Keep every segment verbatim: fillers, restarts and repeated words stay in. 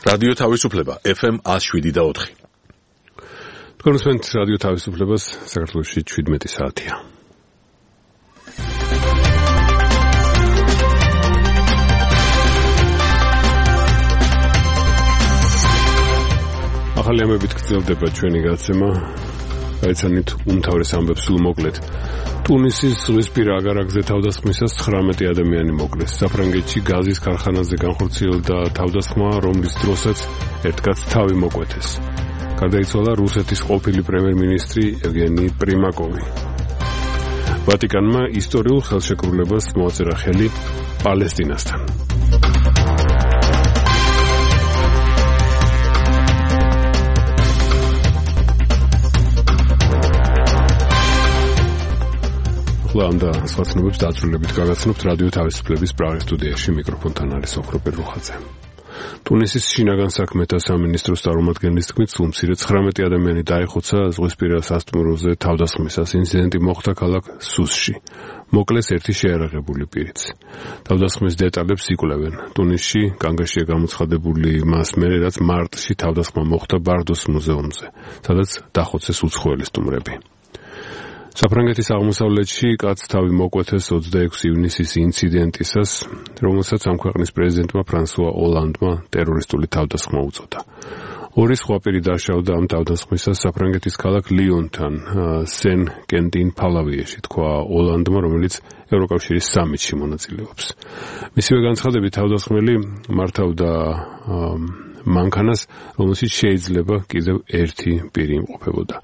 რადიო თავისუფლება ეფ ემ one oh seven და four. თქვენ უსმენთ რადიო თავისუფლებას, საქართველოში seventeen საათია. ახალი ამბებით გრძელდება ჩვენი გაცემა. გაიცანით უმთავრეს ამბებს სულ მოკლედ. ტუნისის ზღვისპირა აგარაკზე თავდასხმისას nineteen ადამიანი მოკლეს. საფრანგეთში გაზის ქარხანაზე განხორციელდა თავდასხმა, რომლის დროსაც ერთ კაცს თავი მოკვეთეს. გარდაიცვალა რუსეთის ყოფილი პრემიერ-მინისტრი ევგენი პრიმაკოვი. ვატიკანმა ისტორიულ ხელშეკრულებას მოაწერა ხელი პალესტინასთან. ამ და სხვა ცნობებს დაწვრილებით გაგაცნობთ რადიო თავისუფლების პრაღის სტუდიაში. მიკროფონთან არის ოქროპირ რუხაძე. ტუნისის შინაგან საქმეთა სამინისტროს წარმომადგენლის თქმით, სულ მცირე nineteen ადამიანი დაიხოცა ზღვისპირა სასტუმროზე თავდასხმისას. ინციდენტი მოხდა ქალაქ სუსში. მოკლეს ერთი შეიარაღებული პირიც. თავდასხმის დეტალებს იკვლევენ. ტუნისში კანგაშია გამოცხადებული მას მერე, რაც მარტში თავდასხმა მოხდა ბარდოს მუზეუმზე, სადაც დახოცეს უცხოელი სტუმრები. საფრანგეთის აღმოსავლეთში კაცს თავი მოკვეთეს twenty-six ივნისის ინციდენტისას, რომელსაც ამ ქვეყნის პრეზიდენტმა ფრანსუა ოლანდმა ტერორისტული თავდასხმა უწოდა. ორი სხვა პირი დაშავდა ამ თავდასხმისას საფრანგეთის ქალაქ ლიონთან, სენ კენტინ ფალავიაში, თქვა ოლანდმა, რომელიც ევროკავშირის სამიტში მონაწილეობს. მისივე განცხადებით თავდასხმელი მართავდა მანქანას, რომელშიც შეიძლება კიდევ ერთი პირი იმყოფებოდა.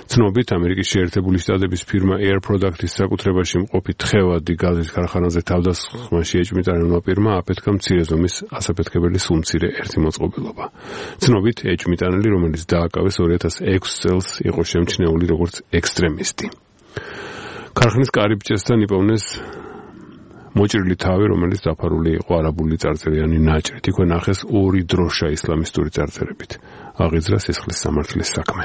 ცნობით, ამერიკის შეერთებული შტატების ფირმა Air Products-ის საკუთრებაში მყოფი თხევადი გაზის ქარხანაზე თავდასხმაში ეჭვმიტანილმა პირმა აფეთქა მცირე ზომის ასაფეთქებელი სულმცირე ერთი მოწყობილობა. ცნობით, ეჭვმიტანილი, რომელიც დააკავეს two thousand six წელს, იყო შემჩნეული როგორც ექსტრემისტი. ქარხნის კარიბჭესთან იპოვნეს მოჭრილი თავი, რომელიც დაფარული იყო არაბული წარწერიანი ნაჭრით. იქვე ნახეს ორი დროშა ისლამისტური წარწერებით. აღიძრა სისხლის სამართლის საქმე.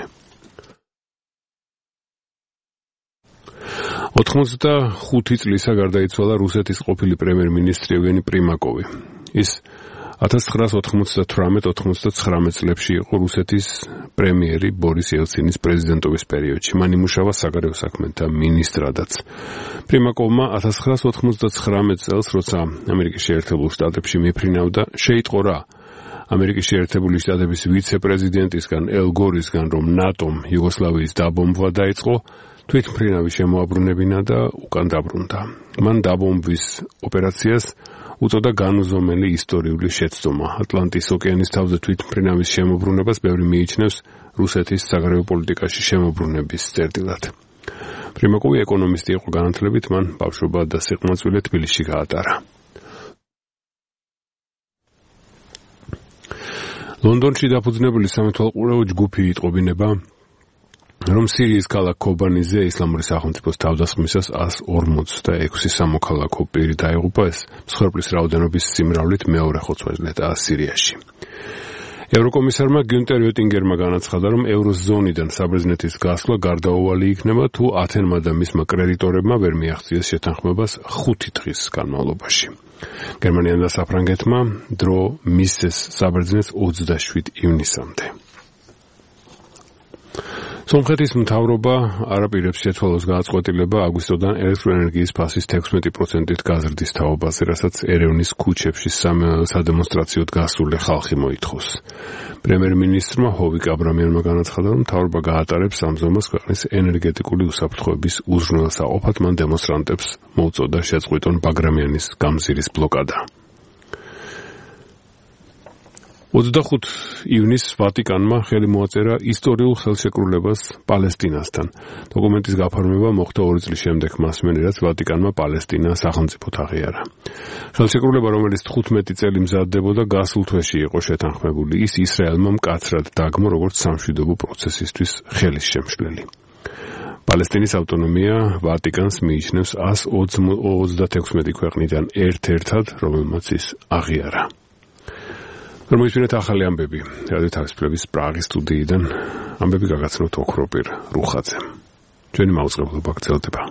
ოცდახუთი წლისა გარდაიცვალა რუსეთის ყოფილი პრემიერ-მინისტრი ევგენი პრიმაკოვი. ის nineteen ninety-eight ninety-nine წლებში იყო რუსეთის პრემიერი ბორის ელცინის პრეზიდენტობის პერიოდში. მან იმუშავა საგარეო საქმეთა მინისტრადაც. პრიმაკოვმა nineteen ninety-nine წელს, როცა ამერიკის შეერთებულ შტატებში მიფრინავდა, შეიტყო რა ამერიკის შეერთებული შტატების ვიცე-პრეზიდენტისგან ელ გორისგან, რომ ნატომ იუგოსლავიის დაბომბვა დაიწყო, თვითმფრინავი შემოაბრუნებინა და უკან დაბრუნდა. მან დაბომბვის ოპერაციას უწოდა განუზომელი ისტორიული შეცდომა. ატლანტის ოკეანის თავზე თვითმფრინავის შემოbrunებას ბევრი მიიჩნევს რუსეთის საგარეო პოლიტიკაში შემოbrunების წერტილად. პრიმაკოვი ეკონომისტი იყო განათლებით, მან ბავშვობა და სიყმაწვილე თბილისში გაატარა. ლონდონში დაფუძნებული სამეთვალყურეო ჯგუფი იტყობინება, რომ სირიის ქალაქ ქობანიზე ისლამური სახელმწიფოს თავდასხმისას one hundred forty-six სამოქალაქო პირი დაიღუპა. ეს მსხვერპლის რაოდენობის სიმრავლით მეორე ხოცვა-ჟლეტა სირიაში. ევროკომისარმა გიუნტერ ოტინგერმა განაცხადა, რომ ევროზონიდან საბერძნეთის გასვლა გარდაუვალი იქნება, თუ ათენმა და მისმა კრედიტორებმა ვერ მიაღწიეს შეთანხმებას ხუთი დღის განმავლობაში. გერმანიამ და საფრანგეთმა დრო მისცეს საბერძნეთს twenty-seven ივნისამდე. სომხეთის მთავრობა არაპირებს შეცვალოს გააწყვეტილება აგვისტოდან ელექტროენერგიის ფასის sixteen percent-ით გაზრდის თაობაზე, რასაც ერევნის ქუჩებში სადემონსტრაციოდ გასული ხალხი მოითხოვს. პრემიერ-მინისტრმა ჰოვიკ აბრამიანმა განაცხადა, რომ მთავრობა გაატარებს ამ ზომას ქვეყნის ენერგეტიკული უსაფრთხოების უზრუნველსაყოფად. მან დემონსტრანტებს მოუწოდა შეწყვიტონ ბაგრამიანის გამზირის ბლოკადა. twenty-five ივნისს ვატიკანმა ხელი მოაწერა ისტორიულ ხელშეკრულებას პალესტინასთან. დოკუმენტის გაფორმება მოხდა ორი წლის შემდეგ მას მერე, რაც ვატიკანმა პალესტინა სახელმწიფოდ აღიარა. ხელშეკრულება, რომელიც თხუთმეტი წელი მზადდებოდა, გასულ თვეში იყო შეთანხმებული. ის ისრაელმა მკაცრად დაგმო, როგორც სამშვიდობო პროცესისთვის ხელის შემშლელი. პალესტინის ავტონომია ვატიკანს მიიჩნევს one thirty-six ქვეყნიდან ერთ-ერთად, რომელმაც ის აღიარა. Რომისმენთ ახალი ამბები. რადიო თავისუფლების პრაღის სტუდიიდან ამბები გაგაცნობთ ოქროპირ რუხაძემ. ჩვენი მაუწყებლობა გრძელდება.